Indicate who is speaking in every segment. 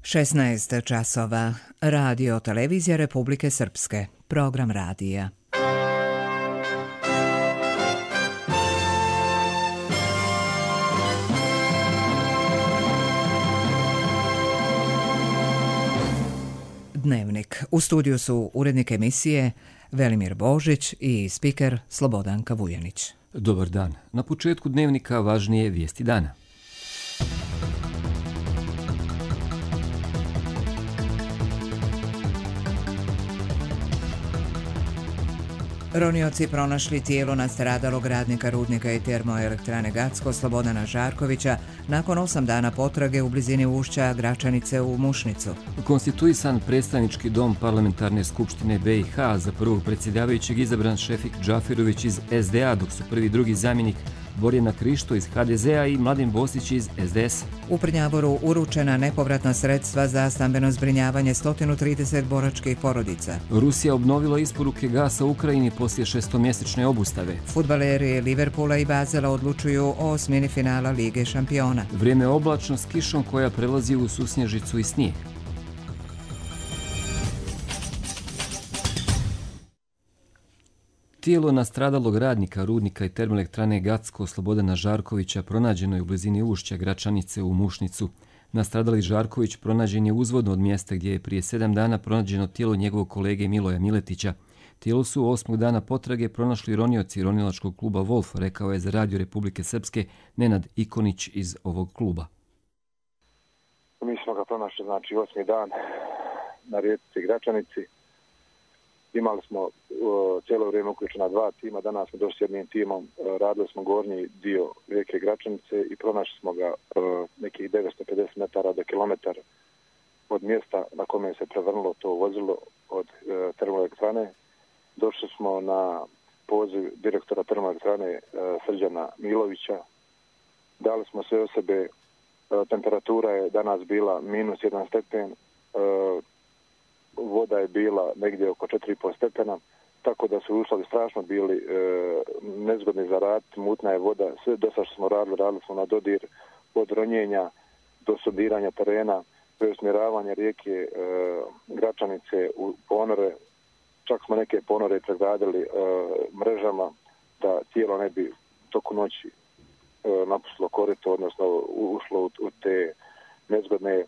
Speaker 1: 16 časova. Radio Televizija Republike Srpske. Program radija. Dnevnik. U studiju su urednik emisije Velimir Božić i spiker Slobodanka Vujanić.
Speaker 2: Dobar dan. Na početku dnevnika važnije vijesti dana.
Speaker 1: Ronioci pronašli tijelo nastradalog radnika rudnika i termoelektrane Gacko Slobodana Žarkovića nakon 8 dana potrage u blizini ušća Gračanice u Mušnicu.
Speaker 2: Konstituisan predstavnički dom Parlamentarne skupštine BiH, za prvog predsjedavajućeg izabran Šefik Džaferović iz SDA, dok su prvi i drugi zamjenik Borjana Krišto iz HDZ-a i Mladen Bosić iz SDS.
Speaker 1: U Prnjavoru uručena nepovratna sredstva za stambeno zbrinjavanje 130 boračkih porodica.
Speaker 2: Rusija obnovila isporuke gasa Ukrajini poslije 6-mjesečne obustave.
Speaker 1: Fudbaleri Liverpoola i Bazela odlučuju o osmini finala Lige šampiona.
Speaker 2: Vrijeme oblačno s kišom koja prelazi u susnježicu i snijeg. Tijelo nastradalog radnika rudnika i termoelektrane Gacko Slobodana Žarkovića pronađeno je u blizini ušća Gračanice u Mušnicu. Nastradali Žarković pronađen je uzvodno od mjesta gdje je prije 7 dana pronađeno tijelo njegovog kolege Miloja Miletića. Tijelo su 8. dana potrage pronašli ronioci ronilačkog kluba Wolf, rekao je za Radio Republike Srpske Nenad Ikonić iz ovog kluba.
Speaker 3: Mi smo ga pronašli, 8. dan na rijeci Gračanici. Imali smo cijelo vrijeme uključena 2 tima, danas smo došli s jednim timom, radili smo gornji dio rijeke Gračanice i pronašli smo ga nekih 950 metara do kilometar od mjesta na kome se prevrnulo to vozilo od termoelektrane. Došli smo na poziv direktora termoelektrane Srđana Milovića. Dali smo sve o sebe, temperatura je danas bila -1 stepen, voda je bila negdje oko 4,5 stepena, tako da su uslovi strašno bili nezgodni za rad, mutna je voda, sve do sad što smo radili smo na dodir od ronjenja do sondiranja terena, preusmjeravanja rijeke Gračanice u ponore, čak smo neke ponore pregradili mrežama da tijelo ne bi toku noći napustilo korito, odnosno ušlo u te nezgodne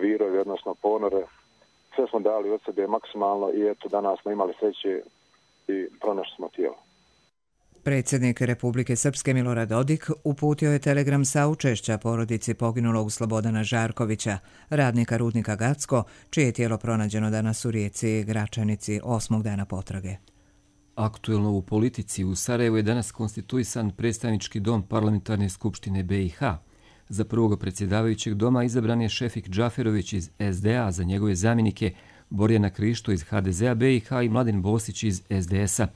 Speaker 3: virove, odnosno ponore. Sve smo dali od sebe maksimalno i eto danas smo imali sreće i pronašli smo tijelo.
Speaker 1: Predsjednik Republike Srpske Milorad Dodik uputio je telegram saučešća porodici poginulog Slobodana Žarkovića, radnika rudnika Gacko, čije je tijelo pronađeno danas u rijeci Gračanici 8. dana potrage.
Speaker 2: Aktuelno u politici u Sarajevu je danas konstituisan predstavnički dom Parlamentarne skupštine BiH. Za prvog predsjedavajućeg doma izabran je Šefik Džaferović iz SDA, za njegove zamjenike Borjana Krišto iz HDZ-a BiH i Mladen Bosić iz SDS-a.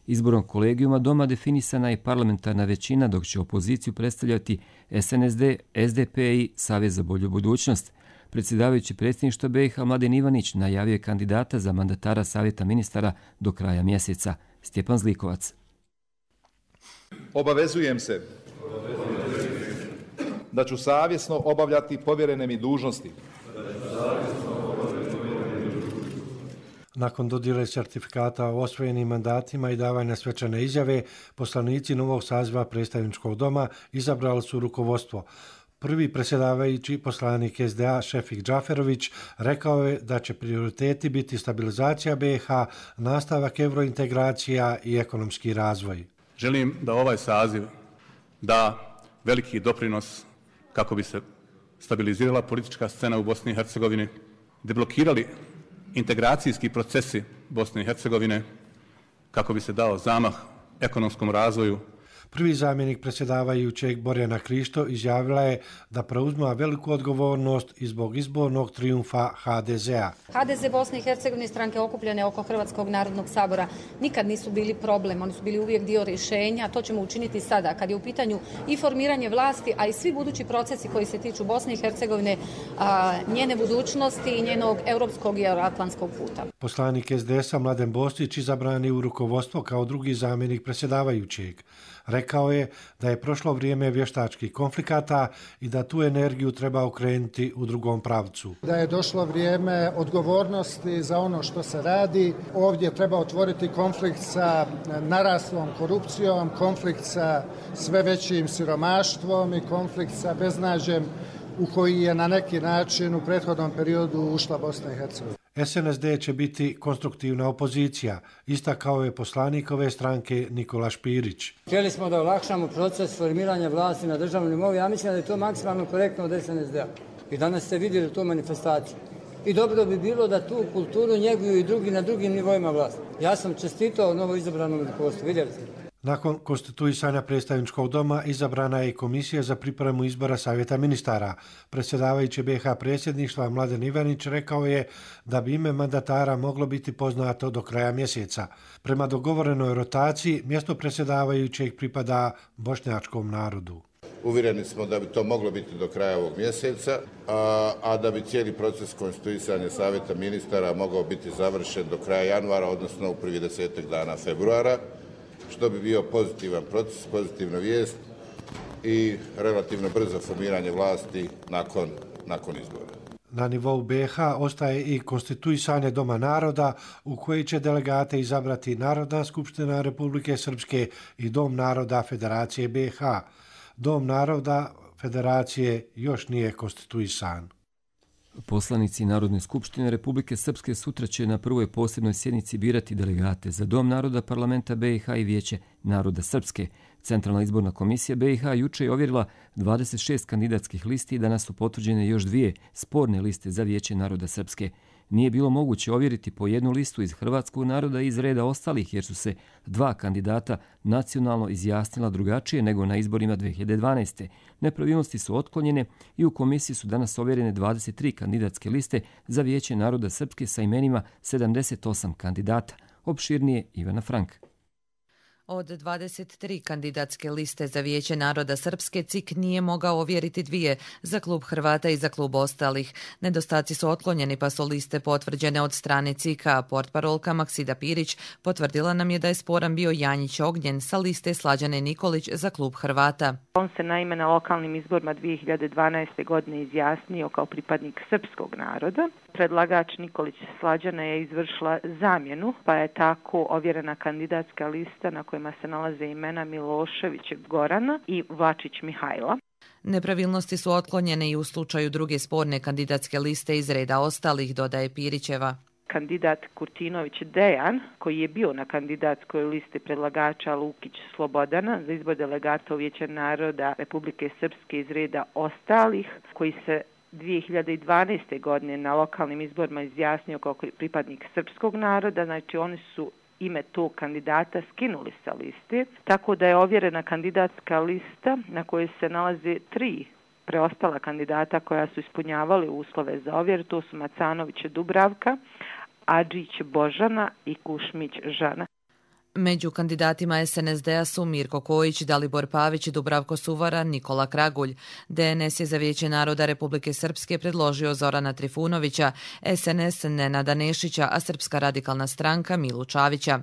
Speaker 2: Izborom kolegijuma doma definisana je parlamentarna većina, dok će opoziciju predstavljati SNSD, SDP i Savez za bolju budućnost. Predsjedavajući predsjedništva BiH Mladen Ivanić najavio je kandidata za mandatara Savjeta ministara do kraja mjeseca. Stjepan Zlikovac.
Speaker 4: Obavezujem se da ću savjesno obavljati povjerene mi dužnosti.
Speaker 5: Nakon dodjele certifikata o osvojenim mandatima i davanja svečane izjave, poslanici novog saziva predstavničkog doma izabrali su rukovodstvo. Prvi predsjedavajući poslanik SDA Šefik Džaferović rekao je da će prioriteti biti stabilizacija BiH, nastavak eurointegracija i ekonomski razvoj.
Speaker 6: Želim da ovaj saziv da veliki doprinos kako bi se stabilizirala politička scena u Bosni i Hercegovini, deblokirali integracijski procesi Bosne i Hercegovine, kako bi se dao zamah ekonomskom razvoju.
Speaker 5: Prvi zamjenik predsjedavajućeg Borjana Krišto izjavila je da preuzima veliku odgovornost i zbog izbornog trijumfa HDZ-a.
Speaker 7: HDZ Bosne i Hercegovine, stranke okupljene oko Hrvatskog narodnog sabora, nikad nisu bili problem, oni su bili uvijek dio rješenja. To ćemo učiniti sada, kad je u pitanju i formiranje vlasti, a i svi budući procesi koji se tiču Bosne i Hercegovine, njene budućnosti i njenog europskog i euroatlantskog puta.
Speaker 5: Poslanik SDS-a Mladen Bosić izabran je u rukovodstvo kao drugi zamjenik predsjedavajućeg. Rekao je da je prošlo vrijeme vještačkih konflikata i da tu energiju treba okrenuti u drugom pravcu.
Speaker 8: Da je došlo vrijeme odgovornosti za ono što se radi. Ovdje treba otvoriti konflikt sa naraslom korupcijom, konflikt sa sve većim siromaštvom i konflikt sa beznađem u koji je na neki način u prethodnom periodu ušla Bosna i Hercegovina.
Speaker 5: SNSD će biti konstruktivna opozicija, istakao je poslanik ove stranke Nikola Špirić.
Speaker 9: Htjeli smo da olakšamo proces formiranja vlasti na državnom nivou. Ja mislim da je to maksimalno korektno od SNSD-a. I danas ste vidjeli tu manifestaciju. I dobro bi bilo da tu kulturu njeguju i drugi na drugim nivoima vlasti. Ja sam čestitao novo izabranom rukovodstvu, vidjeli ste.
Speaker 5: Nakon konstituisanja predstavničkog doma izabrana je i komisija za pripremu izbora Savjeta ministara. Predsjedavajući BiH predsjedništva Mladen Ivanić rekao je da bi ime mandatara moglo biti poznato do kraja mjeseca. Prema dogovorenoj rotaciji, mjesto predsjedavajućeg pripada bošnjačkom narodu.
Speaker 10: Uvjereni smo da bi to moglo biti do kraja ovog mjeseca, a da bi cijeli proces konstituisanja Savjeta ministara mogao biti završen do kraja januara, odnosno u prvi 10 dana februara, što bi bio pozitivan proces, pozitivna vijest i relativno brzo formiranje vlasti nakon izbora.
Speaker 5: Na nivou BiH ostaje i konstituisanje Doma naroda u koji će delegate izabrati Narodna skupština Republike Srpske i Dom naroda Federacije BiH. Dom naroda Federacije još nije konstituisan.
Speaker 2: Poslanici Narodne skupštine Republike Srpske sutra će na prvoj posebnoj sjednici birati delegate za Dom naroda Parlamenta BiH i Vijeće naroda Srpske. Centralna izborna komisija BiH juče je ovjerila 26 kandidatskih listi i danas su potvrđene još 2 sporne liste za Vijeće naroda Srpske. Nije bilo moguće ovjeriti po jednu listu iz hrvatskog naroda i iz reda ostalih, jer su se 2 kandidata nacionalno izjasnila drugačije nego na izborima 2012. Nepravilnosti su otklonjene i u komisiji su danas ovjerene 23 kandidatske liste za Vijeće naroda Srpske sa imenima 78 kandidata. Opširnije Ivana Frank.
Speaker 11: Od 23 kandidatske liste za Vijeće naroda Srpske, CIK nije mogao ovjeriti 2 za klub Hrvata i za klub ostalih. Nedostaci su otklonjeni pa su liste potvrđene od strane CIK-a. Portparolka Maksida Pirić potvrdila nam je da je sporan bio Janjić Ognjen sa liste Slađane Nikolić za klub Hrvata.
Speaker 12: On se naime na lokalnim izborima 2012. godine izjasnio kao pripadnik srpskog naroda. Predlagač Nikolić Slađana je izvršila zamjenu, pa je tako ovjerena kandidatska lista na kojima se nalaze imena Milošević Gorana i Vlačić Mihajla.
Speaker 11: Nepravilnosti su otklonjene i u slučaju druge sporne kandidatske liste iz reda ostalih, dodaje Pirićeva.
Speaker 12: Kandidat Kurtinović Dejan, koji je bio na kandidatskoj listi predlagača Lukić Slobodana za izbor delegata u Vijeće naroda Republike Srpske iz reda ostalih, koji se 2012. godine na lokalnim izborima izjasnio kao pripadnik srpskog naroda, znači oni su ime tog kandidata skinuli sa liste, tako da je ovjerena kandidatska lista na kojoj se nalaze 3 preostala kandidata koja su ispunjavali uslove za ovjer, to su Macanović Dubravka, Adžić Božana i Kušmić Žana.
Speaker 11: Među kandidatima SNSD-a su Mirko Kojić, Dalibor Pavić, Dubravko Suvara, Nikola Kragulj. DNS je za Vijeće naroda Republike Srpske predložio Zorana Trifunovića, SNS Nenada Nešića, a Srpska radikalna stranka Milu Čavića.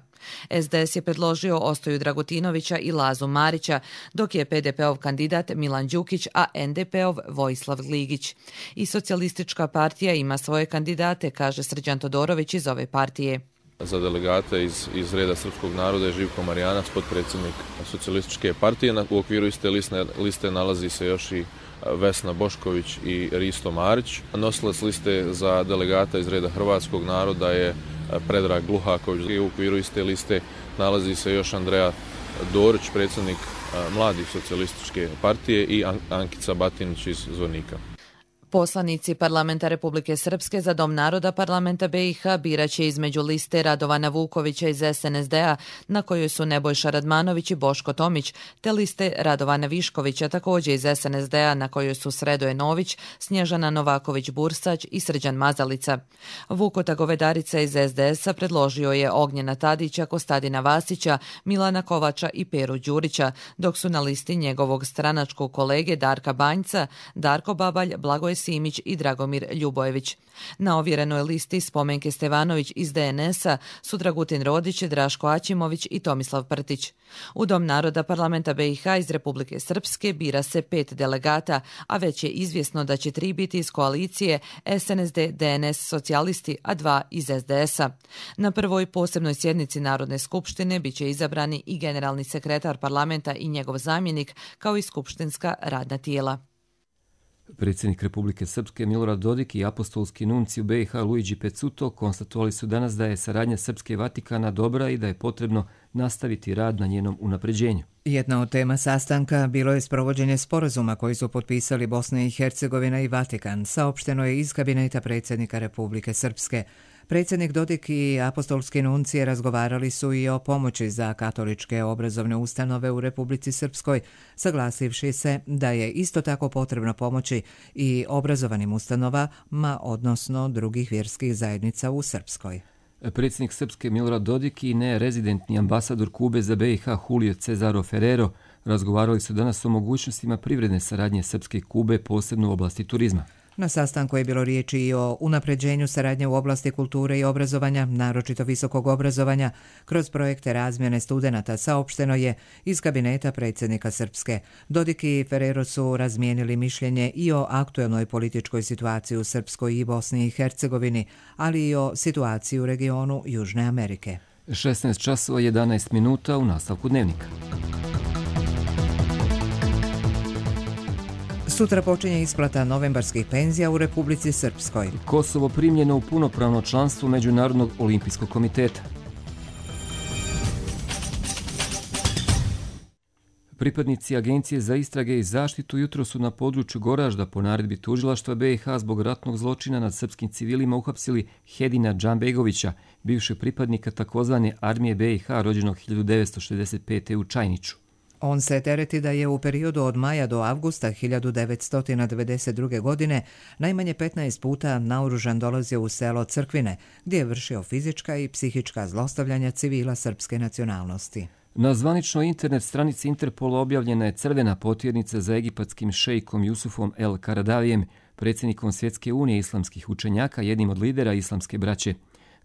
Speaker 11: SDS je predložio Ostoju Dragutinovića i Lazu Marića, dok je PDP-ov kandidat Milan Đukić, a NDP-ov Vojislav Gligić. I socijalistička partija ima svoje kandidate, kaže Srđan Todorović iz ove partije.
Speaker 13: Za delegate iz reda srpskog naroda je Živko Marijanac, potpredsjednik socijalističke partije. U okviru iste liste nalazi se još i Vesna Bošković i Risto Marić. Nosilac liste za delegata iz reda hrvatskog naroda je Predrag Gluhaković. U okviru iste liste nalazi se još Andreja Dorić, predsjednik Mladih socijalističke partije, i Ankica Batinić iz Zvornika.
Speaker 11: Poslanici Parlamenta Republike Srpske za Dom naroda Parlamenta BiH biraće između liste Radovana Vukovića iz SNSD-a, na kojoj su Nebojša Radmanović i Boško Tomić, te liste Radovana Viškovića, također iz SNSD-a, na kojoj su Sredoje Nović, Snježana Novaković-Bursać i Srđan Mazalica. Vukota Govedarica iz SDS-a predložio je Ognjena Tadića, Kostadina Vasića, Milana Kovača i Peru Đurića, dok su na listi njegovog stranačkog kolege Darka Banjca, Darko Babalj, Blagoje Simić i Dragomir Ljubojević. Na ovjerenoj listi Spomenke Stevanović iz DNS-a su Dragutin Rodić, Draško Aćimović i Tomislav Prtić. U Dom naroda parlamenta BiH iz Republike Srpske bira se 5 delegata, a već je izvjesno da će 3 biti iz koalicije SNSD, DNS, socijalisti, a 2 iz SDS-a. Na prvoj posebnoj sjednici Narodne skupštine biće izabrani i generalni sekretar parlamenta i njegov zamjenik, kao i skupštinska radna tijela.
Speaker 2: Predsjednik Republike Srpske Milorad Dodik i apostolski nunci u BiH Luigi Pezzuto konstatovali su danas da je saradnja Srpske i Vatikana dobra i da je potrebno nastaviti rad na njenom unapređenju.
Speaker 1: Jedna od tema sastanka bilo je sprovođenje sporazuma koji su potpisali Bosna i Hercegovina i Vatikan, saopšteno je iz kabineta predsjednika Republike Srpske. Predsjednik Dodik i apostolski nuncije razgovarali su i o pomoći za katoličke obrazovne ustanove u Republici Srpskoj, saglasivši se da je isto tako potrebno pomoći i obrazovanim ustanovama, odnosno drugih vjerskih zajednica u Srpskoj.
Speaker 2: Predsjednik Srpske Milorad Dodik i nerezidentni ambasador Kube za BiH Julio Cesaro Ferrero razgovarali su danas o mogućnostima privredne saradnje Srpske i Kube, posebno u oblasti turizma.
Speaker 1: Na sastanku je bilo riječi i o unapređenju saradnje u oblasti kulture i obrazovanja, naročito visokog obrazovanja, kroz projekte razmjene studenata, saopšteno je iz kabineta predsjednika Srpske. Dodik i Ferrero su razmijenili mišljenje i o aktuelnoj političkoj situaciji u Srpskoj i Bosni i Hercegovini, ali i o situaciji u regionu Južne Amerike.
Speaker 2: 16 časova 11 minuta u nastavku dnevnika.
Speaker 1: Sutra počinje isplata novembarskih penzija u Republici Srpskoj.
Speaker 2: Kosovo primljeno u punopravno članstvo Međunarodnog olimpijskog komiteta. Pripadnici Agencije za istrage i zaštitu jutro su na području Goražda po naredbi tužilaštva BiH zbog ratnog zločina nad srpskim civilima uhapsili Hedina Džambegovića, bivšeg pripadnika takozvane armije BiH rođenog 1965. u Čajniću.
Speaker 1: On se tereti da je u periodu od maja do avgusta 1992. godine najmanje 15 puta naoružan dolazio u selo Crkvine, gdje je vršio fizička i psihička zlostavljanja civila srpske nacionalnosti.
Speaker 2: Na zvaničnoj internet stranici Interpola objavljena je crvena potjernica za egipatskim šejkom Jusufom El Karadavijem, predsjednikom Svjetske unije islamskih učenjaka, jednim od lidera islamske braće.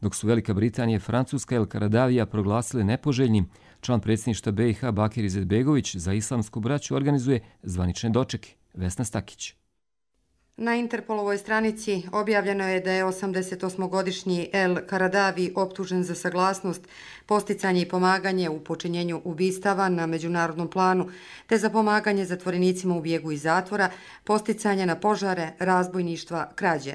Speaker 2: Dok su Velika Britanija i Francuska El Karadavija proglasile nepoželjnim, član predsjedništva BiH Bakir Izetbegović za islamsku braću organizuje zvanične dočeke. Vesna Stakić.
Speaker 14: Na Interpolovoj stranici objavljeno je da je 88-godišnji El Karadavi optužen za saglasnost, posticanje i pomaganje u počinjenju ubistava na međunarodnom planu, te za pomaganje zatvorenicima u bijegu iz zatvora, posticanje na požare, razbojništva, krađe.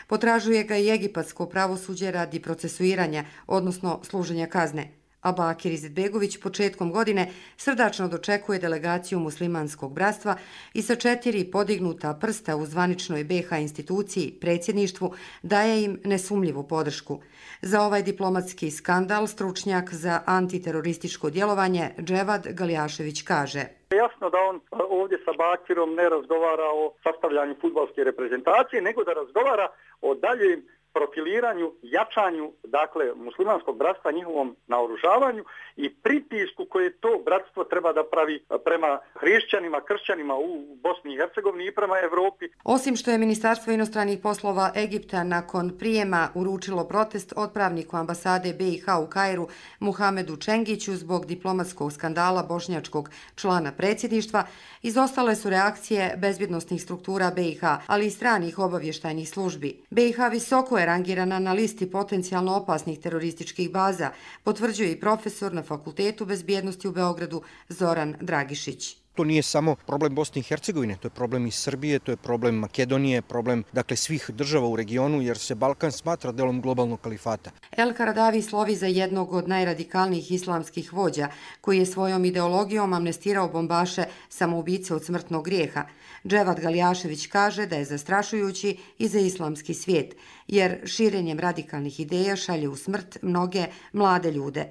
Speaker 14: Potražuje ga i egipatsko pravosuđe radi procesuiranja, odnosno služenja kazne. A Bakir Izetbegović početkom godine srdačno dočekuje delegaciju muslimanskog bratstva i sa 4 podignuta prsta u zvaničnoj BiH instituciji, predsjedništvu, daje im nesumljivu podršku. Za ovaj diplomatski skandal stručnjak za antiterorističko djelovanje Dževad Galjašević kaže:
Speaker 15: Jasno da on ovdje sa Bakirom ne razgovara o sastavljanju fudbalske reprezentacije, nego da razgovara o daljem profiliranju, jačanju, dakle, muslimanskog bratstva, njihovom naoružavanju i pritisku koje to bratstvo treba da pravi prema hrišćanima, kršćanima u Bosni i Hercegovini i prema Evropi.
Speaker 14: Osim što je Ministarstvo inostranih poslova Egipta nakon prijema uručilo protest odpravniku ambasade BiH u Kairu Muhamedu Čengiću zbog diplomatskog skandala bošnjačkog člana predsjedništva, izostale su reakcije bezbjednosnih struktura BiH, ali i stranih obavještajnih službi. BiH visoko je rangirana na listi potencijalno opasnih terorističkih baza, potvrđuje i profesor na Fakultetu bezbjednosti u Beogradu Zoran Dragišić.
Speaker 16: To nije samo problem Bosne i Hercegovine, to je problem i Srbije, to je problem Makedonije, problem svih država u regionu, jer se Balkan smatra delom globalnog kalifata.
Speaker 14: El Karadavi slovi za jednog od najradikalnijih islamskih vođa, koji je svojom ideologijom amnestirao bombaše samoubice od smrtnog grijeha. Dževad Galjašević kaže da je zastrašujući i za islamski svijet, jer širenjem radikalnih ideja šalje u smrt mnoge mlade ljude.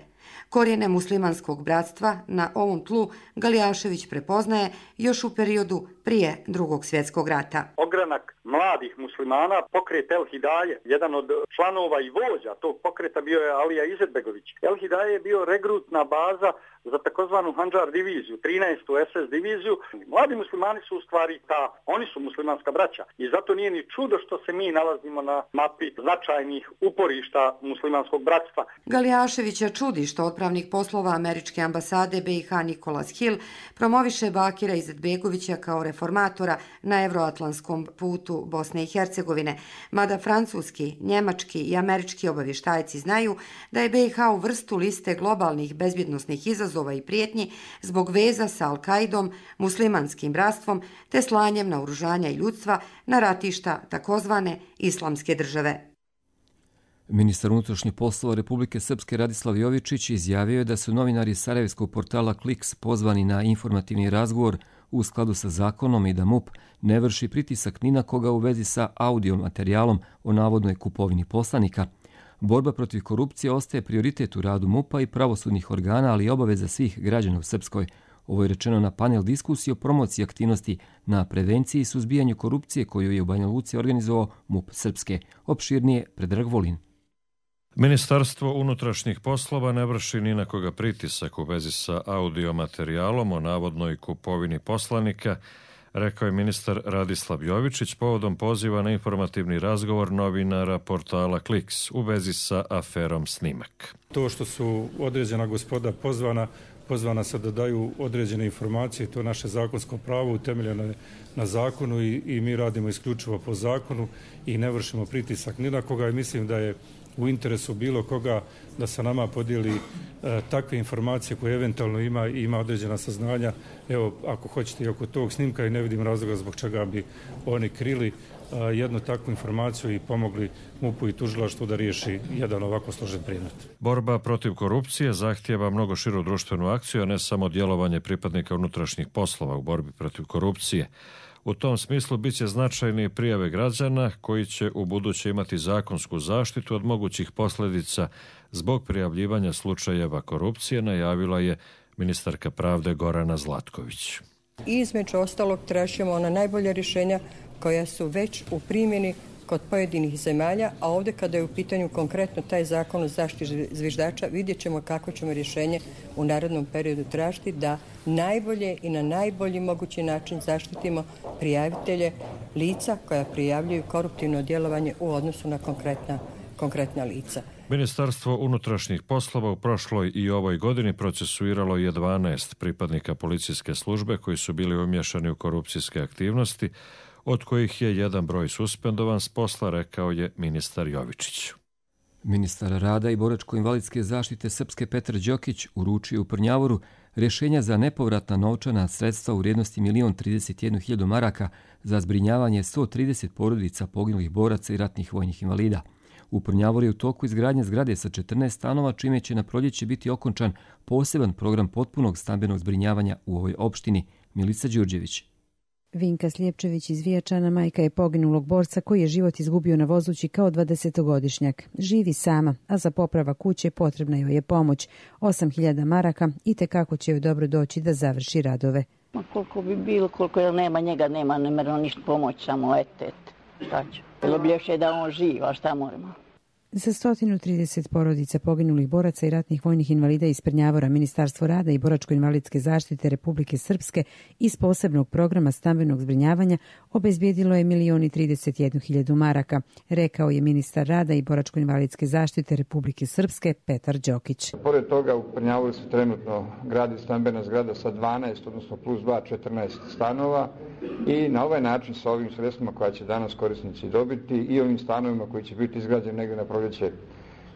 Speaker 14: Korijene muslimanskog bratstva na ovom tlu Galjašević prepoznaje još u periodu prije Drugog svjetskog rata.
Speaker 15: Ogranak mladih muslimana, pokret El Hidaje. Jedan od članova i vođa tog pokreta bio je Alija Izetbegović. El Hidaje je bio regrutna baza za takozvanu Handžar diviziju, 13. SS diviziju. Mladi muslimani su u stvari oni su muslimanska braća i zato nije ni čudo što se mi nalazimo na mapi značajnih uporišta muslimanskog bratstva.
Speaker 14: Galijaševića čudi što odpravnik poslova Američke ambasade BiH Nikolas Hill promoviše Bakira Izetbegovića kao reformatora na evroatlantskom putu Bosne i Hercegovine, mada francuski, njemački i američki obavještajci znaju da je BiH u vrstu liste globalnih bezbjednosnih izazova i prijetnji zbog veza sa Al-Kaidom, muslimanskim bratstvom te slanjem naoružanja i ljudstva na ratišta takozvane islamske države.
Speaker 2: Ministar unutrašnjih poslova Republike Srpske Radislav Jovičić izjavio je da su novinari sarajevskog portala Kliks pozvani na informativni razgovor u skladu sa zakonom i da MUP ne vrši pritisak ni na koga u vezi sa audio materijalom o navodnoj kupovini poslanika. Borba protiv korupcije ostaje prioritet u radu MUP-a i pravosudnih organa, ali i obaveza svih građana u Srpskoj. Ovo je rečeno na panel diskusiji o promociji aktivnosti na prevenciji i suzbijanju korupcije koju je u Banja Luci organizovao MUP Srpske. Opširnije Predrag Volin.
Speaker 17: Ministarstvo unutrašnjih poslova ne vrši ni na koga pritisak u vezi sa audio materijalom o navodnoj kupovini poslanika, rekao je ministar Radislav Jovičić povodom poziva na informativni razgovor novinara portala Kliks u vezi sa aferom Snimak.
Speaker 18: To što su određena gospoda pozvana se da daju određene informacije, to je naše zakonsko pravo utemeljeno na zakonu i mi radimo isključivo po zakonu i ne vršimo pritisak ni na koga i mislim da je u interesu bilo koga da sa nama podijeli takve informacije koje eventualno ima određena saznanja. Evo, ako hoćete i oko tog snimka i ne vidim razloga zbog čega bi oni krili jednu takvu informaciju i pomogli MUP-u i tužilaštvu da riješi jedan ovako složen predmet.
Speaker 17: Borba protiv korupcije zahtijeva mnogo širu društvenu akciju, a ne samo djelovanje pripadnika unutrašnjih poslova u borbi protiv korupcije. U tom smislu bit će značajne prijave građana koji će u buduće imati zakonsku zaštitu od mogućih posljedica zbog prijavljivanja slučajeva korupcije, najavila je ministarka pravde Gorana Zlatković.
Speaker 19: Između ostalog tražimo ona najbolja rješenja koja su već u primjeni kod pojedinih zemalja, a ovdje kada je u pitanju konkretno taj zakon o zaštiti zviždača, vidjet ćemo kako ćemo rješenje u narednom periodu tražiti da najbolje i na najbolji mogući način zaštitimo prijavitelje lica koja prijavljuju koruptivno djelovanje u odnosu na konkretna lica.
Speaker 17: Ministarstvo unutrašnjih poslova u prošloj i ovoj godini procesuiralo je 12 pripadnika policijske službe koji su bili umješani u korupcijske aktivnosti, od kojih je jedan broj suspendovan s posla, rekao je ministar Jovičić.
Speaker 2: Ministar rada i boračko-invalidske zaštite Srpske Petar Đokić uručio u Prnjavoru rješenja za nepovratna novčana sredstva u vrijednosti 1.031.000 maraka za zbrinjavanje 130 porodica poginulih boraca i ratnih vojnih invalida. U Prnjavoru je u toku izgradnje zgrade sa 14 stanova, čime će na proljeće biti okončan poseban program potpunog stambenog zbrinjavanja u ovoj opštini. Milica Đurđević.
Speaker 20: Vinka Sljepčević iz Vijačana majka je poginulog borca koji je život izgubio na vozući kao 20-godišnjak. Živi sama, a za popravak kuće potrebna joj je pomoć. 8.000 maraka i tekako će joj dobro doći da završi radove.
Speaker 21: Koliko bi bilo, koliko nema njega, nema nemjerno ništa pomoći, samo etet. Šta ću? Bilo bi još je da on živ, a šta moramo?
Speaker 20: Za 130 porodica poginulih boraca i ratnih vojnih invalida iz Prnjavora Ministarstvo rada i boračko-invalidske zaštite Republike Srpske iz posebnog programa stambenog zbrinjavanja obezbijedilo je 1.031.000 maraka, rekao je ministar rada i boračko-invalidske zaštite Republike Srpske Petar Đokić.
Speaker 22: Pored toga u Prnjavoru se trenutno gradi stambena zgrada sa 12, odnosno plus 2, 14 stanova i na ovaj način sa ovim sredstvima koja će danas korisnici dobiti i ovim stanovima koji će biti izgrađeni negdje na proljeće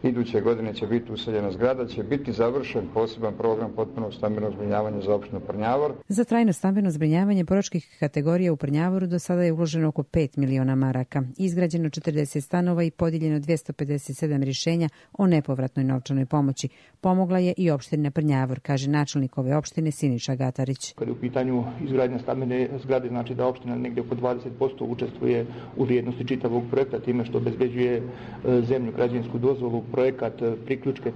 Speaker 22: iduće godine će biti useljena zgrada, će biti završen poseban program potpunog stambenog zbrinjavanja za opštinu Prnjavor.
Speaker 20: Za trajno stambeno zbrinjavanje boračkih kategorija u Prnjavoru do sada je uloženo oko 5 miliona maraka. Izgrađeno 40 stanova i podijeljeno 257 rješenja o nepovratnoj novčanoj pomoći. Pomogla je i opština Prnjavor, kaže načelnik ove opštine Siniša Gatarić.
Speaker 23: Kada je u pitanju izgradnja stambene zgrade, znači da opština negdje oko 20% učestvuje u vrijednosti čitavog projekta, time što obezbeđuje zemlju, građevinsku dozvolu, projekat, priključke,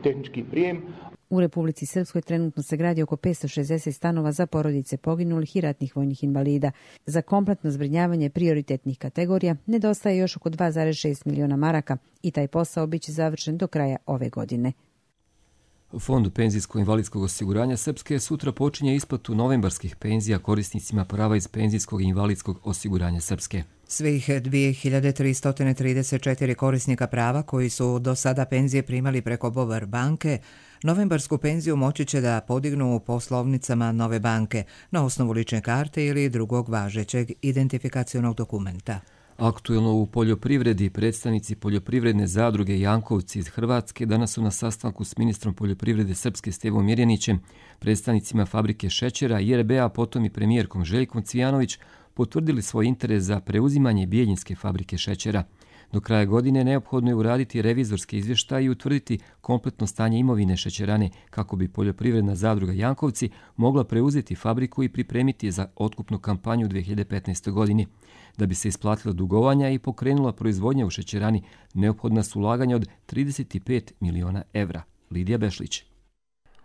Speaker 23: tehnički prijem.
Speaker 20: U Republici Srpskoj trenutno se gradi oko 560 stanova za porodice poginulih i ratnih vojnih invalida. Za kompletno zbrinjavanje prioritetnih kategorija nedostaje još oko 2,6 miliona maraka i taj posao biće završen do kraja ove godine.
Speaker 2: Fond penzijsko-invalidskog osiguranja Srpske sutra počinje isplatu novembarskih penzija korisnicima prava iz penzijskog i invalidskog osiguranja Srpske.
Speaker 1: Svih 2334 korisnika prava koji su do sada penzije primali preko Bovar banke, novembarsku penziju moći će da podignu u poslovnicama Nove banke na osnovu lične karte ili drugog važećeg identifikacionog dokumenta.
Speaker 2: Aktuelno u poljoprivredi predstavnici poljoprivredne zadruge Jankovci iz Hrvatske danas su na sastanku s ministrom poljoprivrede Srpske Stevom Mirjanićem, predstavnicima fabrike šećera i RBA, potom i premijerkom Željkom Cvijanović potvrdili svoj interes za preuzimanje Bijeljinske fabrike šećera. Do kraja godine neophodno je uraditi revizorski izvještaj i utvrditi kompletno stanje imovine šećerane kako bi poljoprivredna zadruga Jankovci mogla preuzeti fabriku i pripremiti za otkupnu kampanju u 2015. godini. Da bi se isplatilo dugovanja i pokrenula proizvodnja u šećerani, neophodna su ulaganja od 35 miliona evra. Lidija Bešlić.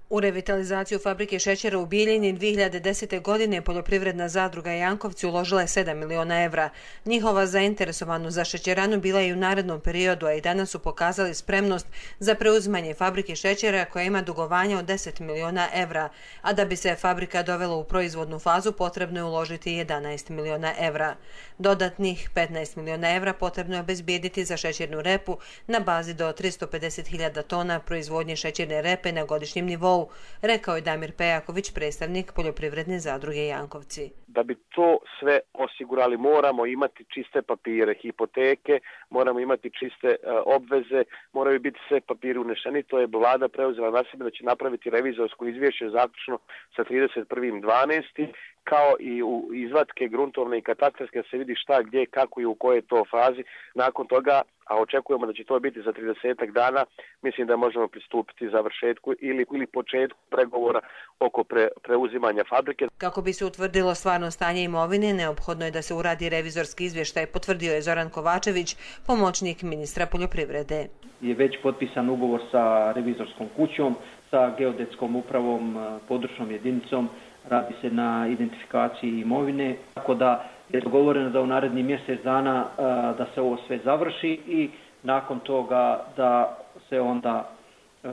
Speaker 3: U revitalizaciju fabrike šećera u Bijeljini 2010. godine poljoprivredna zadruga Jankovci uložila je 7 miliona evra. Njihova zainteresovanost za šećeranu bila je i u narednom periodu, a i danas su pokazali spremnost za preuzimanje fabrike šećera koja ima dugovanja od 10 miliona evra, a da bi se fabrika dovela u proizvodnu fazu potrebno je uložiti 11 miliona evra. Dodatnih 15 miliona evra potrebno je obezbijediti za šećernu repu na bazi do 350.000 tona proizvodnje šećerne repe na godišnjem nivou, rekao je Damir Pejaković, predstavnik poljoprivredne zadruge Jankovci.
Speaker 4: Da bi to sve osigurali moramo imati čiste papire, hipoteke, moramo imati čiste obveze, moraju biti sve papiri unešeni. To je vlada preuzela na sebe da će napraviti revizorsko izvješće zaključno sa 31.12. kao i u izvatke gruntovne i katastarske da se vidi šta, gdje, kako i u kojoj to fazi. Nakon toga, a očekujemo da će to biti za 30 dana, mislim da možemo pristupiti završetku ili početku pregovora oko preuzimanja fabrike.
Speaker 3: Kako bi se utvrdilo stvarno stanje imovine, neophodno je da se uradi revizorski izvještaj, potvrdio je Zoran Kovačević, pomoćnik ministra poljoprivrede.
Speaker 6: Je već potpisan ugovor sa revizorskom kućom, sa geodetskom upravom, područnom jedinicom, radi se na identifikaciji imovine, tako da je dogovoreno da u naredni mjesec dana da se ovo sve završi i nakon toga da se onda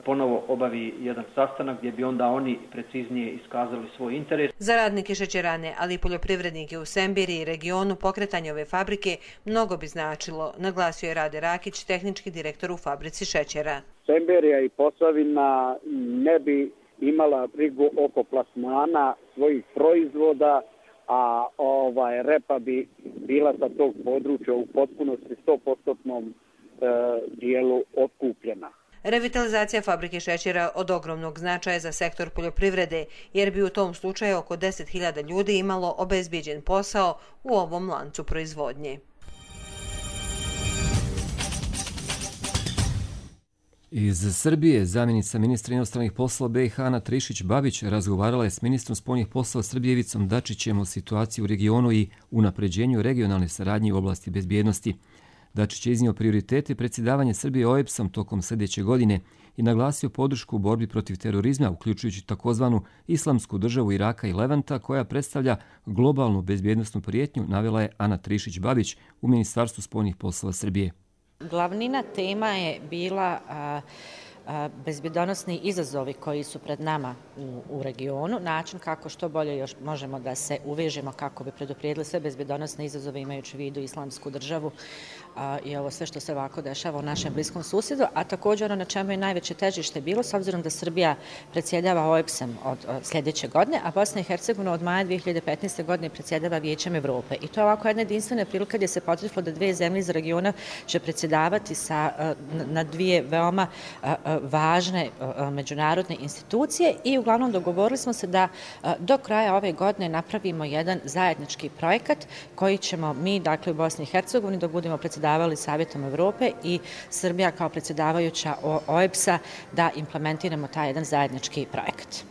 Speaker 6: ponovo obavi jedan sastanak gdje bi onda oni preciznije iskazali svoj interes.
Speaker 3: Za radnike šećerane, ali i poljoprivrednike u Sembiri i regionu pokretanje ove fabrike mnogo bi značilo, naglasio je Rade Rakić, tehnički direktor u fabrici šećera.
Speaker 24: Semberija i Posavina ne bi imala brigu oko plasmana svojih proizvoda, a repa bi bila sa tog područja u potpunosti 100% dijelu otkupljena.
Speaker 3: Revitalizacija fabrike šećera od ogromnog značaja za sektor poljoprivrede, jer bi u tom slučaju oko 10.000 ljudi imalo obezbijeđen posao u ovom lancu proizvodnje.
Speaker 2: Iz Srbije zamjenica ministra inostranih poslova BiH Ana Trišić-Babić razgovarala je s ministrom spoljnih poslova Srbije Ivicom Dačićem o situaciji u regionu i unapređenju regionalne saradnje u oblasti bezbjednosti. Dačić je iznio prioritete predsjedavanja Srbije OEBS-om tokom sljedeće godine i naglasio podršku u borbi protiv terorizma, uključujući takozvanu Islamsku državu Iraka i Levanta, koja predstavlja globalnu bezbjednosnu prijetnju, navela je Ana Trišić-Babić u Ministarstvu spoljnih poslova Srbije.
Speaker 25: Glavnina tema je bila bezbjednosni izazovi koji su pred nama u regionu, način kako što bolje još možemo da se uvežemo kako bi preduprijedili sve bezbjednosne izazove imajući u vidu Islamsku državu i ovo sve što se ovako dešava u našem bliskom susjedu, a također ono na čemu je najveće težište bilo, s obzirom da Srbija predsjedava OEBS-om od sljedeće godine, a Bosna i Hercegovina od maja 2015. godine predsjedava Vijećem Evrope. I to je ovako jedna jedinstvena prilika gdje se potrefilo da dvije zemlje iz regiona će predsjedavati na dvije veoma važne međunarodne institucije i uglavnom dogovorili smo se da do kraja ove godine napravimo jedan zajednički projekat koji ćemo mi, dakle u Bosni i Hercegovini, dok budemo predsjedavali Savjetom Evrope i Srbija kao predsjedavajuća OEBS-a, da implementiramo taj jedan zajednički projekat.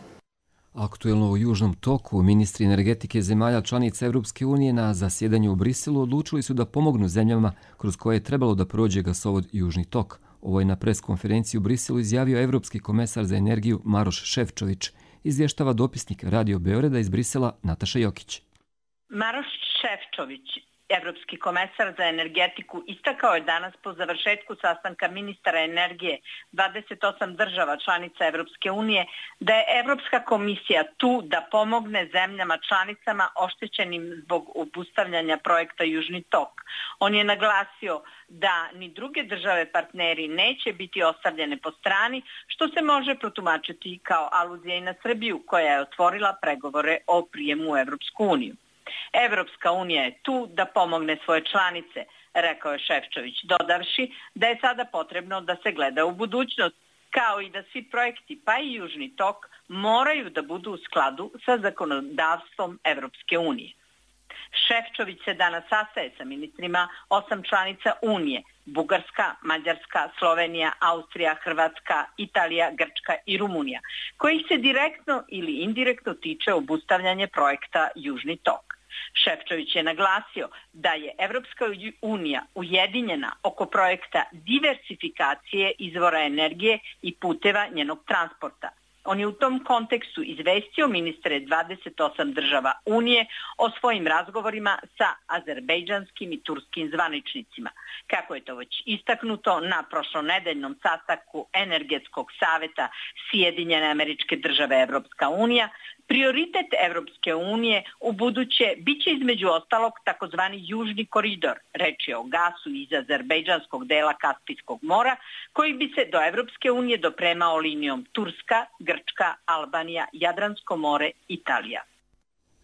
Speaker 2: Aktuelno u Južnom toku, ministri energetike zemalja članica Europske unije na zasjedanju u Briselu odlučili su da pomognu zemljama kroz koje je trebalo da prođe gasovod Južni tok. Ovo je na preskonferenciji u Briselu izjavio evropski komesar za energiju Maroš Šefčović, izvještava dopisnik Radio Beograda iz Brisela Nataša Jokić.
Speaker 5: Maroš Šefčović, evropski komesar za energetiku, istakao je danas po završetku sastanka ministara energije 28 država članica Evropske unije da je Evropska komisija tu da pomogne zemljama članicama oštećenim zbog obustavljanja projekta Južni tok. On je naglasio da ni druge države partneri neće biti ostavljene po strani, što se može protumačiti kao aluzija i na Srbiju, koja je otvorila pregovore o prijemu u Evropsku uniju. Evropska unija je tu da pomogne svoje članice, rekao je Šefčović, dodavši da je sada potrebno da se gleda u budućnost, kao i da svi projekti, pa i Južni tok, moraju da budu u skladu sa zakonodavstvom Evropske unije. Šefčović se danas sastaje sa ministrima 8 članica Unije, Bugarska, Mađarska, Slovenija, Austrija, Hrvatska, Italija, Grčka i Rumunija, kojih se direktno ili indirektno tiče obustavljanje projekta Južni tok. Šefčović je naglasio da je Evropska unija ujedinjena oko projekta diversifikacije izvora energije i puteva njenog transporta. On je u tom kontekstu izvestio ministre 28 država Unije o svojim razgovorima sa azerbejdžanskim i turskim zvaničnicima. Kako je to već istaknuto na prošlonedeljnom sastanku Energetskog saveta Sjedinjene Američke Države Evropska unija, prioritet Evropske unije u buduće biće između ostalog takozvani Južni koridor, reč je o gasu iz azerbejdžanskog dela Kaspijskog mora, koji bi se do Evropske unije dopremao linijom Turska, Grčka, Albanija, Jadransko more, Italija.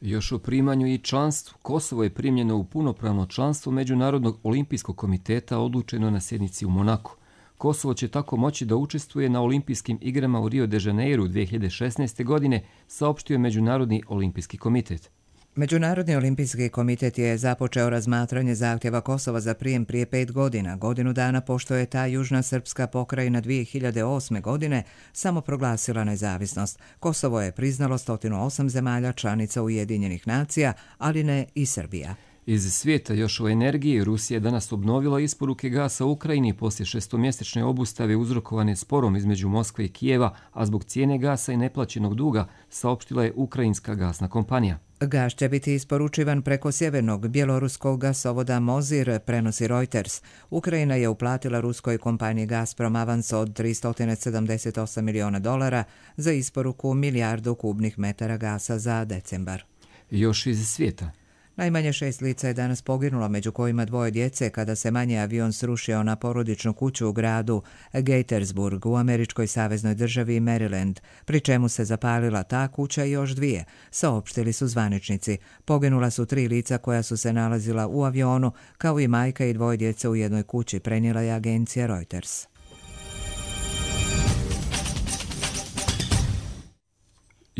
Speaker 2: Još o primanju i članstvu. Kosovo je primljeno u punopravno članstvo Međunarodnog olimpijskog komiteta odlučeno na sjednici u Monaku. Kosovo će tako moći da učestvuje na olimpijskim igrama u Rio de Janeiru 2016. godine, saopštio Međunarodni olimpijski komitet.
Speaker 1: Međunarodni olimpijski komitet je započeo razmatranje zahtjeva Kosova za prijem prije 5 godina, godinu dana pošto je ta južna srpska pokrajina 2008. godine samo proglasila nezavisnost. Kosovo je priznalo 108 zemalja članica Ujedinjenih nacija, ali ne i Srbija.
Speaker 2: Iz svijeta još o energiji, Rusija je danas obnovila isporuke gasa u Ukrajini poslije 6-mjesečne obustave uzrokovane sporom između Moskve i Kijeva, a zbog cijene gasa i neplaćenog duga, saopštila je ukrajinska gasna kompanija.
Speaker 1: Gas će biti isporučivan preko sjevernog bjeloruskog gasovoda Mozir, prenosi Reuters. Ukrajina je uplatila ruskoj kompaniji Gazprom avans od $378 miliona za isporuku 1 milijardu kubnih metara gasa za decembar.
Speaker 2: Još iz svijeta.
Speaker 1: Najmanje 6 lica je danas poginulo, među kojima 2 djece, kada se manji avion srušio na porodičnu kuću u gradu Gaithersburg u američkoj saveznoj državi Maryland, pri čemu se zapalila ta kuća i još 2, saopštili su zvaničnici. Poginula su 3 lica koja su se nalazila u avionu, kao i majka i 2 djece u jednoj kući, prenijela je agencija Reuters.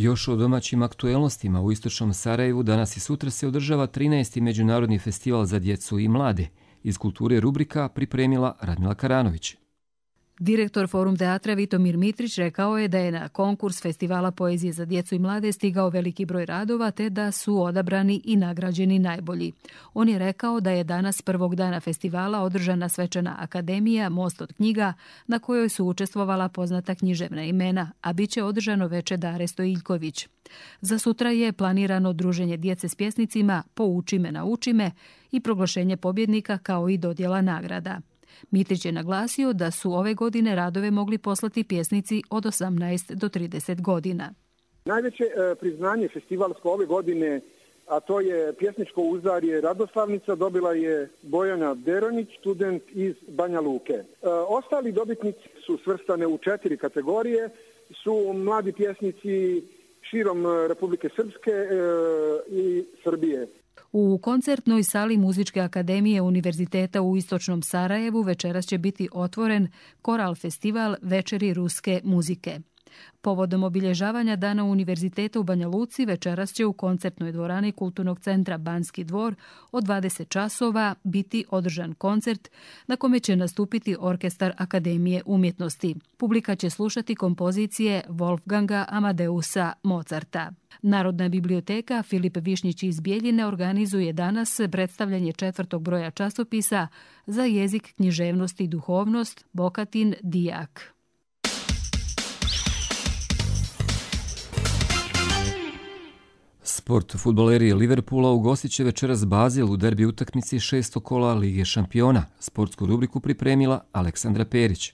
Speaker 2: Još o domaćim aktuelnostima. U istočnom Sarajevu danas i sutra se održava 13. Međunarodni festival za djecu i mlade. Iz kulture rubrika pripremila Radmila Karanović.
Speaker 7: Direktor Forum teatra Vitomir Mitrić rekao je da je na konkurs Festivala poezije za djecu i mlade stigao veliki broj radova te da su odabrani i nagrađeni najbolji. On je rekao da je danas prvog dana festivala održana svečana akademija Most od knjiga na kojoj su učestvovala poznata književna imena, a bit će održano veče Dare Stojiljković. Za sutra je planirano druženje djece s pjesnicima Pouči me, nauči me i proglašenje pobjednika kao i dodjela nagrada. Mitrić je naglasio da su ove godine radove mogli poslati pjesnici od 18 do 30 godina.
Speaker 8: Najveće priznanje festivalsko ove godine, a to je pjesničko uzdarje Radoslavnica, dobila je Bojana Deronić, student iz Banja Luke. Ostali dobitnici su svrstane u 4 kategorije, su mladi pjesnici širom Republike Srpske i Srbije.
Speaker 7: U koncertnoj sali Muzičke akademije Univerziteta u Istočnom Sarajevu večeras će biti otvoren Koral festival Večeri ruske muzike. Povodom obilježavanja Dana Univerziteta u Banja Luci večeras će u koncertnoj dvorani Kulturnog centra Banski dvor od 20 časova biti održan koncert na kome će nastupiti Orkestar Akademije umjetnosti. Publika će slušati kompozicije Wolfganga Amadeusa Mozarta. Narodna biblioteka Filip Višnjić iz Bijeljine organizuje danas predstavljanje 4. broja časopisa za jezik, književnost i duhovnost Bokatin Dijak.
Speaker 2: Sport fudbaleri Liverpoola ugostit će večeras Basel u derbi utakmici 6. kola Lige šampiona. Sportsku rubriku pripremila Aleksandra Perić.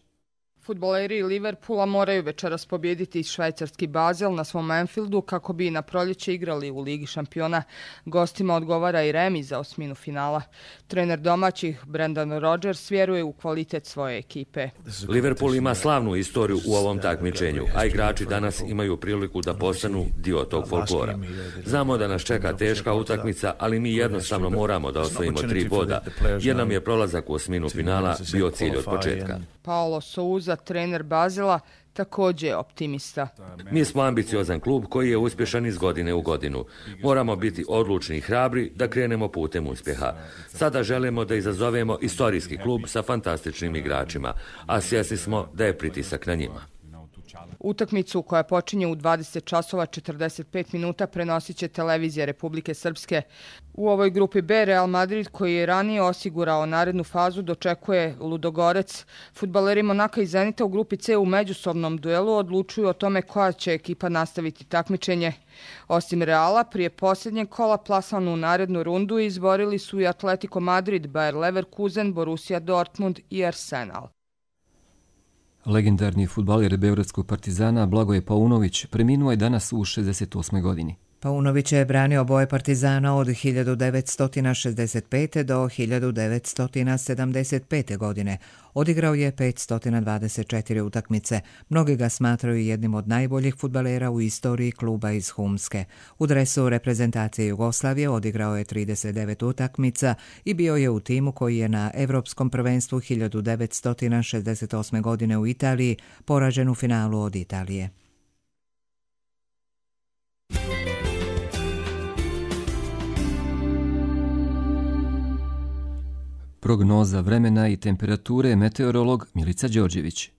Speaker 9: Fudbaleri Liverpoola moraju večeras pobijediti švajcarski Basel na svom Anfieldu kako bi na proljeće igrali u Ligi šampiona. Gostima odgovara i remi za osminu finala. Trener domaćih Brendan Rodgers vjeruje u kvalitet svoje ekipe.
Speaker 10: Liverpool ima slavnu istoriju u ovom takmičenju, a igrači danas imaju priliku da postanu dio tog folklora. Znamo da nas čeka teška utakmica, ali mi jednostavno moramo da osvojimo 3 boda, jer nam je prolazak u osminu finala bio cilj od početka.
Speaker 9: Paulo Souza, trener Basela, također je optimista.
Speaker 10: Mi smo ambiciozan klub koji je uspješan iz godine u godinu. Moramo biti odlučni i hrabri da krenemo putem uspjeha. Sada želimo da izazovemo istorijski klub sa fantastičnim igračima, a svjesni smo da je pritisak na njima.
Speaker 9: Utakmicu koja počinje u 20 časova 45 minuta prenosit će televizija Republike Srpske. U ovoj grupi B Real Madrid, koji je ranije osigurao narednu fazu, dočekuje Ludogorec. Fudbaleri Monaka i Zenita u grupi C u međusobnom duelu odlučuju o tome koja će ekipa nastaviti takmičenje. Osim Reala, prije posljednjeg kola plasmanu u narednu rundu izborili su i Atletico Madrid, Bayer Leverkusen, Borussia Dortmund i Arsenal.
Speaker 2: Legendarni fudbaler beogradskog Partizana Blagoje Paunović preminuo je danas u 68. godini.
Speaker 1: Paunović je branio boje Partizana od 1965. do 1975. godine. Odigrao je 524 utakmice. Mnogi ga smatraju jednim od najboljih fudbalera u istoriji kluba iz Humske. U dresu reprezentacije Jugoslavije odigrao je 39 utakmica i bio je u timu koji je na Evropskom prvenstvu 1968. godine u Italiji poražen u finalu od Italije.
Speaker 2: Prognoza vremena i temperature meteorolog Milica Đorđević.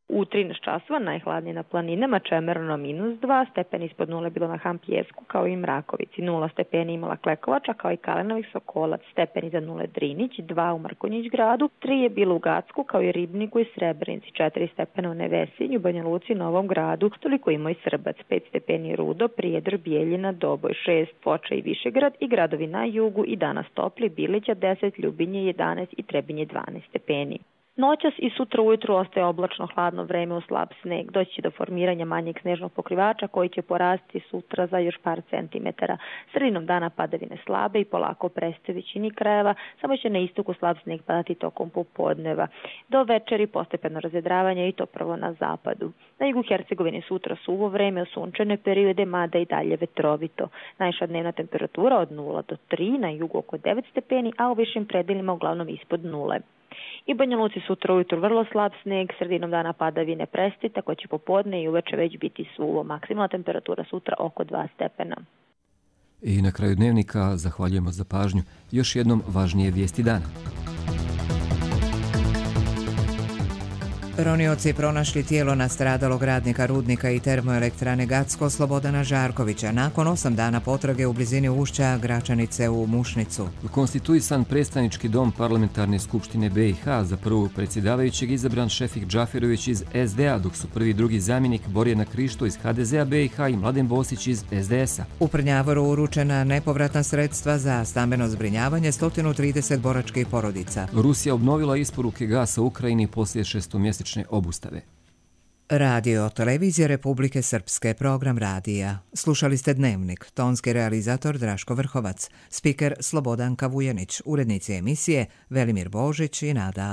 Speaker 11: U 13 časova najhladnije na planinama, Čemerno -2, stepeni ispod nule bilo na Hampjesku kao i Mrakovici, 0 stepeni imala Klekovača kao i Kalenovih Sokolac, stepeni za nule Drinić, 2 u Markonjić gradu, 3 je bilo u Gacku kao i Ribniku i Srebrenici, 4 stepena u Nevesinju, Banja Luci, Novom gradu, toliko ima i Srbac, 5 stepeni Rudo, Prijedor, Bijeljina, Doboj, 6 Foča i Višegrad i gradovi na jugu i danas topli, Bilića 10, Ljubinje 11 i Trebinje 12 stepeni. Noćas i sutra ujutru ostaje oblačno hladno vreme u slab sneg. Doći će do formiranja manjeg snežnog pokrivača koji će porasti sutra za još par centimetara. Sredinom dana padavine slabe i polako prestaje većini krajeva, samo će na istoku slab sneg padati tokom popodneva. Do večeri postepeno razvedravanje i to prvo na zapadu. Na jugu Hercegovine sutra suvo vreme, u sunčane periode, mada i dalje vetrovito. Najviša dnevna temperatura od 0 do 3, na jugu oko 9 stepeni, a u višim predelima uglavnom ispod 0. I Banja Luci sutra ujutru vrlo slab sneg, sredinom dana padavine prestaje, tako će popodne i uveče već biti suvo. Maksimalna temperatura sutra oko 2 stepena.
Speaker 2: I na kraju dnevnika zahvaljujemo za pažnju. Još jednom važnije vijesti dana.
Speaker 1: Ronioci pronašli tijelo nastradalog radnika rudnika i termoelektrane Gacko Slobodana Žarkovića nakon 8 dana potrage u blizini ušća Gračanice u Mušnicu.
Speaker 2: Konstituisan predstavnički dom Parlamentarne skupštine BiH, za prvog predsjedavajućeg izabran Šefik Džaferović iz SDA, dok su prvi i drugi zamjenik Borjana Krišto iz HDZ-a BiH i Mladen Bosić iz SDS-a.
Speaker 1: U Prnjavoru uručena nepovratna sredstva za stambeno zbrinjavanje 130 boračkih porodica.
Speaker 2: Rusija obnovila isporuke gasa u Ukrajini poslije 6-mjesečne obustave.
Speaker 1: Radio Televizija Republike Srpske, program radija. Slušali ste Dnevnik, tonski realizator Draško Vrhovac, spiker Slobodanka Vujanić, urednici emisije Velimir Božić i Nada